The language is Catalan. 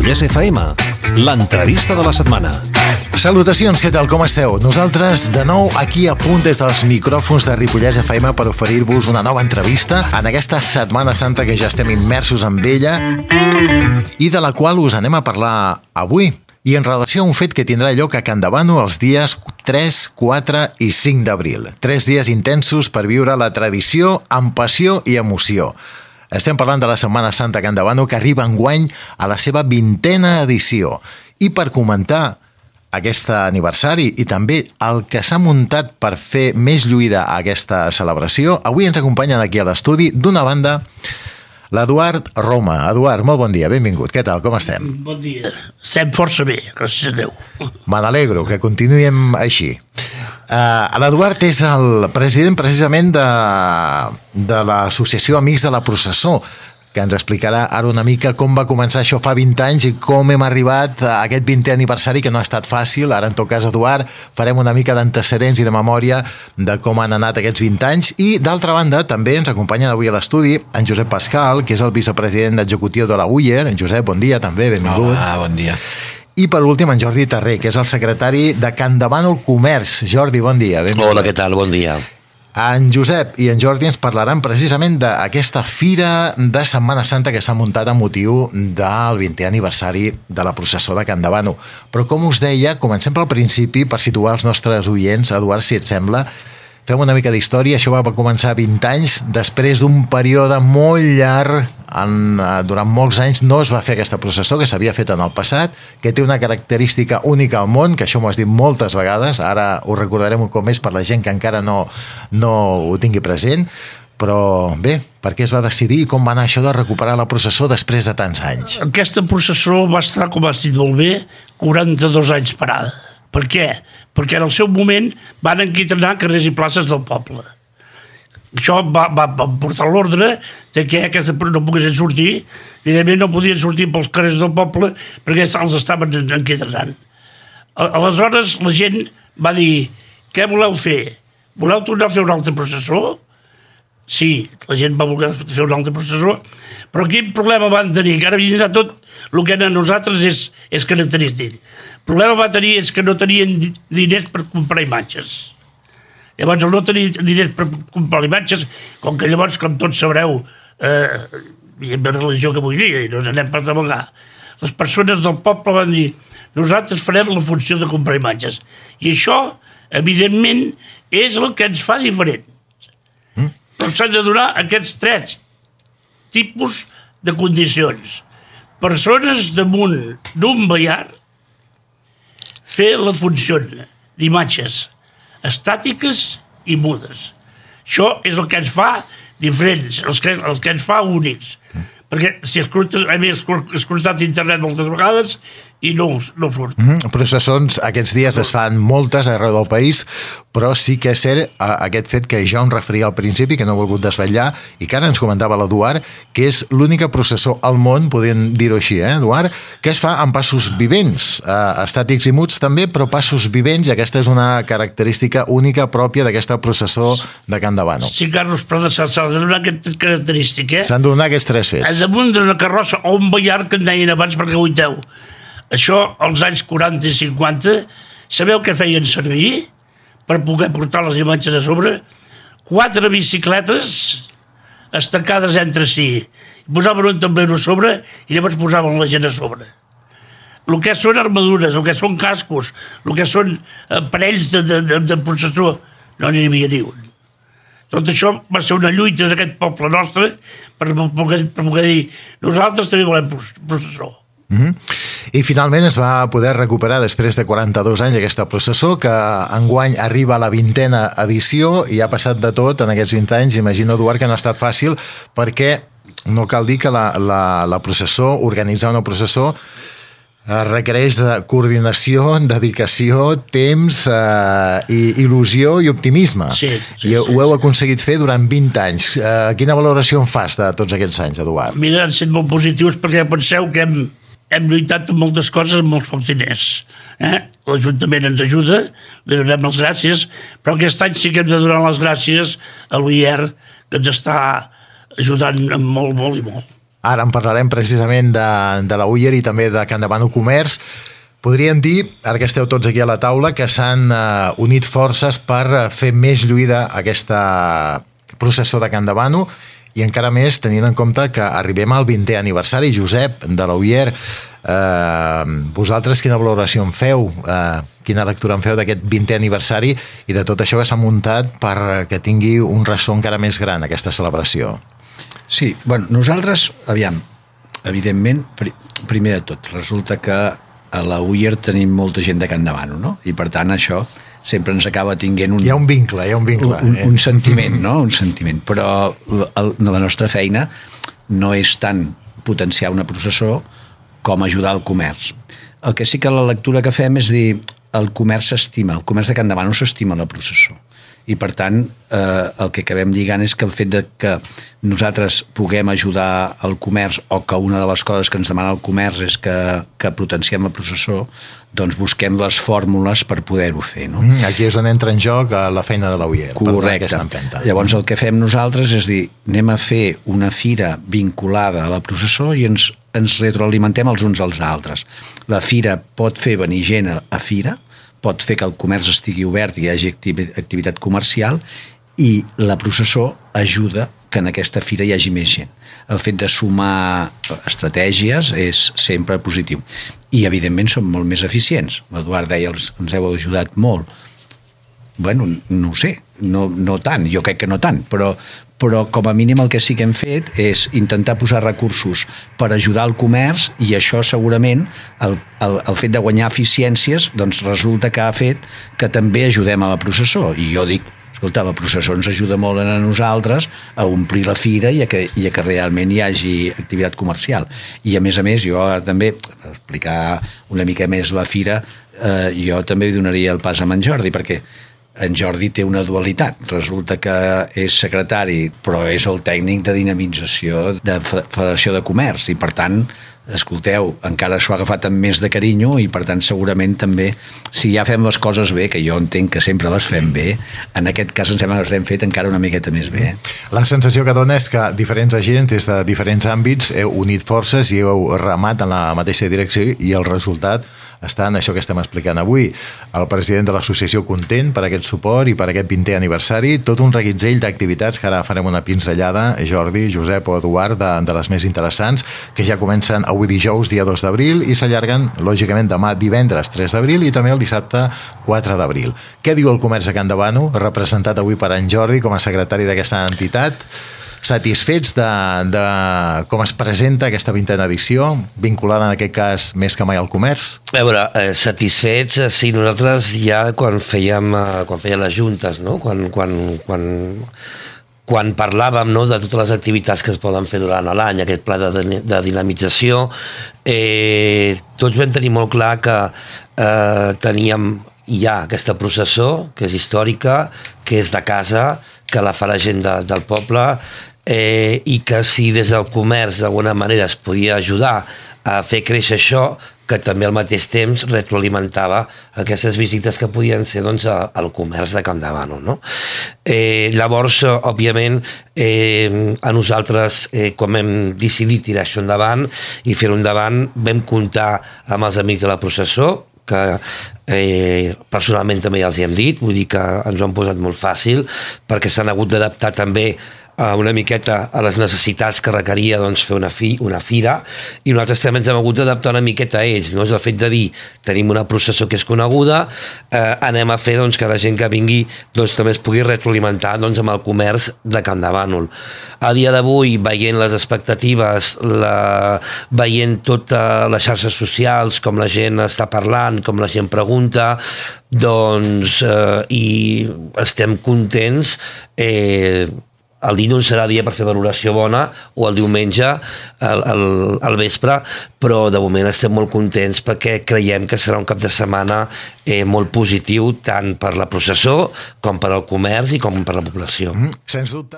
Ripollès FM, l'entrevista de la setmana. Salutacions, què tal, com esteu? Nosaltres, de nou, aquí a punt des dels micròfons de Ripollès FM per oferir-vos una nova entrevista en aquesta Setmana Santa que ja estem immersos en ella i de la qual us anem a parlar avui. I en relació a un fet que tindrà lloc a Campdevànol els dies 3, 4 i 5 d'abril. 3 dies intensos per viure la tradició amb passió i emoció. Estem parlant de la Setmana Santa a Campdevànol, que arriba enguany a la seva 20a edició. I per comentar aquest aniversari i també el que s'ha muntat per fer més lluïda aquesta celebració, avui ens acompanyen aquí a l'estudi, d'una banda, l'Eduard Roma. Eduard, molt bon dia, benvingut. Què tal, com estem? Bon dia. Estem força bé, gràcies a Déu. Me n'alegro, que continuem així. L'Eduard és el president precisament de l'Associació Amics de la Processó, que ens explicarà ara una mica com va començar això fa 20 anys i com hem arribat a aquest 20è aniversari, que no ha estat fàcil. Ara, en tot cas, Eduard, farem una mica d'antecedents i de memòria de com han anat aquests 20 anys. I, d'altra banda, també ens acompanya avui a l'estudi en Josep Pascal, que és el vicepresident executiu de la UIER. En Josep, bon dia, també, benvingut. Hola, bon dia. I, per últim, en Jordi Terré, que és el secretari de Campdevànol Comerç. Jordi, bon dia, benvingut. Hola, què tal, bon dia. En Josep i en Jordi ens parlaran precisament d'aquesta fira de Setmana Santa que s'ha muntat a motiu del 20è aniversari de la processó de Campdevànol. Però, com us deia, comencem pel principi per situar els nostres oients. Eduard, si et sembla, fem una mica d'història. Això va començar 20 anys, després d'un període molt llarg. Durant molts anys no es va fer aquesta processó, que s'havia fet en el passat, que té una característica única al món, que això m'ho has dit moltes vegades, ara ho recordarem un cop més per la gent que encara no ho tingui present. Però bé, per què es va decidir i com va anar això de recuperar la processó després de tants anys? Aquesta processó va estar, com has dit molt bé, 42 anys parada. Per què? Perquè en el seu moment van enquitrenar carrers i places del poble. Això va portar l'ordre de que aquesta no poguessin sortir. Evidentment no podien sortir pels carrers del poble perquè els estaven enquitrenant. Aleshores la gent va dir: què voleu fer? Voleu tornar a fer una altra processó? Sí, la gent va voler fer una altra processó, però quin problema van tenir? Que ara vindrà tot el que a nosaltres és característic. El problema va tenir és que no tenien diners per comprar imatges. Llavors, al no tenir diners per comprar imatges, com que llavors, com tots sabreu, hi ha una religió que vull dir, i no ens anem per devagar, les persones del poble van dir: nosaltres farem la funció de comprar imatges. I això, evidentment, és el que ens fa diferents. Però s'han de donar aquests 3 tipus de condicions. Persones damunt d'un ballar fer la funció d'imatges estàtiques i mudes. Això és el que ens fa diferents, el que ens fa únics. Perquè si escoltes, he escoltat internet moltes vegades i no surt. Processons, aquests dies es fan moltes arreu del país, però sí que és cert aquest fet que jo em referia al principi, que no he volgut desvetllar, i que ara ens comentava l'Eduard, que és l'única processó al món, podem dir-ho així, Eduard, que es fa amb passos vivents, estàtics i muts també, però passos vivents, i aquesta és una característica única pròpia d'aquesta processó de Campdevànol. Sí, Carlos, però s'ha de donar aquesta característica. S'han de donar aquests 3 fets. Damunt d'una carrossa o un ballar, que en deien abans, perquè oiteu. Això, als anys 40 i 50, sabeu què feien servir per poder portar les imatges a sobre? 4 bicicletes estancades entre si. Posaven un tablero a sobre i llavors posaven la gent a sobre. El que són armadures, el que són cascos, el que són aparells de processó, no n'hi havia ni un. Tot això va ser una lluita d'aquest poble nostre per poder dir: nosaltres també volem processó. I finalment es va poder recuperar després de 42 anys aquesta processó, que enguany arriba a la 20a edició i ha passat de tot en aquests 20 anys. Imagino, Eduard, que no ha estat fàcil, perquè no cal dir que la processó, organitzar una processó, requereix de coordinació, dedicació, temps, il·lusió i optimisme. Sí, I ho heu aconseguit fer durant 20 anys. Quina valoració en fas de tots aquests anys, Eduard? Mira, han estat molt positius, perquè penseu que hem lluitat amb moltes coses amb molts pocs diners. L'Ajuntament ens ajuda, li donem les gràcies, però aquest any sí que hem de donar les gràcies a l'UIER, que ens està ajudant molt, molt i molt. Ara en parlarem precisament de la Uller i també de Can Davano Comerç. Podríem dir, ara que esteu tots aquí a la taula, que s'han unit forces per fer més lluïda aquesta processó de Can Davano i encara més tenint en compte que arribem al 20è aniversari. Josep, de la Uller, vosaltres quina valoració en feu, quina lectura en feu d'aquest 20è aniversari i de tot això que s'ha muntat perquè tingui un ressò encara més gran aquesta celebració? Sí, bueno, nosaltres, aviam, evidentment, primer de tot, resulta que a la Uller tenim molta gent de Can Davano, no? I per tant això sempre ens acaba tinguent un... Hi ha un vincle. Un sentiment, no? Un sentiment. Però la nostra feina no és tant potenciar una processó com ajudar el comerç. El que sí que la lectura que fem és dir el comerç s'estima, el comerç de Can Davano s'estima la processó. I per tant el que acabem lligant és que el fet de que nosaltres puguem ajudar el comerç o que una de les coses que ens demana el comerç és que potenciem la processó, doncs busquem les fórmules per poder-ho fer, no? Aquí és on entra en joc la feina de la Uller. Correcte. Llavors el que fem nosaltres és dir, anem a fer una fira vinculada a la processó i ens retroalimentem els uns als altres. La fira pot fer venir gent a fira, pot fer que el comerç estigui obert i hi hagi activitat comercial i la processó ajuda que en aquesta fira hi hagi més gent. El fet de sumar estratègies és sempre positiu. I, evidentment, som molt més eficients. L'Eduard deia, ens heu ajudat molt. Bueno, no ho sé, no tant, jo crec que no tant, però com a mínim el que sí que hem fet és intentar posar recursos per ajudar el comerç i això segurament, el fet de guanyar eficiències, doncs resulta que ha fet que també ajudem a la processó. I jo dic, escolta, la processó ens ajuda molt a nosaltres a omplir la fira i a que realment hi hagi activitat comercial. I a més, jo també, per explicar una mica més la fira, jo també donaria el pas a en Jordi, perquè en Jordi té una dualitat. Resulta que és secretari, però és el tècnic de dinamització de Federació de Comerç i, per tant, escolteu, encara s'ho ha agafat amb més de carinyo i, per tant, segurament també, si ja fem les coses bé, que jo entenc que sempre les fem bé, en aquest cas ens sembla que les hem fet encara una miqueta més bé. La sensació que dona és que diferents agents des de diferents àmbits heu unit forces i heu remat en la mateixa direcció i el resultat està en això que estem explicant avui. El president de l'associació content per aquest suport i per aquest 20è aniversari, tot un reguitzell d'activitats que ara farem una pinzellada, Jordi, Josep o Eduard, de les més interessants, que ja comencen avui dijous, dia 2 d'abril, i s'allarguen, lògicament, demà divendres 3 d'abril i també el dissabte 4 d'abril. Què diu el comerç de Can Davano, representat avui per en Jordi com a secretari d'aquesta entitat? Satisfets de com es presenta aquesta 20a edició, vinculada en aquest cas més que mai al comerç? A veure, satisfets, sí, nosaltres ja quan feien les juntes, no? Quan parlàvem, no, de totes les activitats que es poden fer durant l'any, aquest pla de dinamització, tots vam tenir molt clar que teníem ja aquesta processó, que és històrica, que és de casa, que la fa la gent del poble, i que si des del comerç d'alguna manera es podia ajudar a fer créixer això, que també al mateix temps retroalimentava aquestes visites que podien ser doncs, al comerç de Can Davano. No? Llavors, òbviament, a nosaltres, quan vam decidir tirar això endavant i fer-ho endavant, vam comptar amb els amics de la processó, que personalment també ja els hi hem dit, vull dir que ens ho han posat molt fàcil, perquè s'han hagut d'adaptar també una miqueta a les necessitats que requeria doncs, fer una fira, i nosaltres també ens hem hagut d'adaptar una miqueta a ells, no? És el fet de dir, tenim una processó que és coneguda, anem a fer doncs, que la gent que vingui doncs, també es pugui retroalimentar doncs, amb el comerç de Can Davano. A dia d'avui, veient les expectatives, veient totes les xarxes socials, com la gent està parlant, com la gent pregunta, doncs, i estem contents. El dilluns serà dia per fer valoració bona, o el diumenge al vespre, però de moment estem molt contents perquè creiem que serà un cap de setmana molt positiu tant per la processó com per al comerç i com per la població. Sens dubte.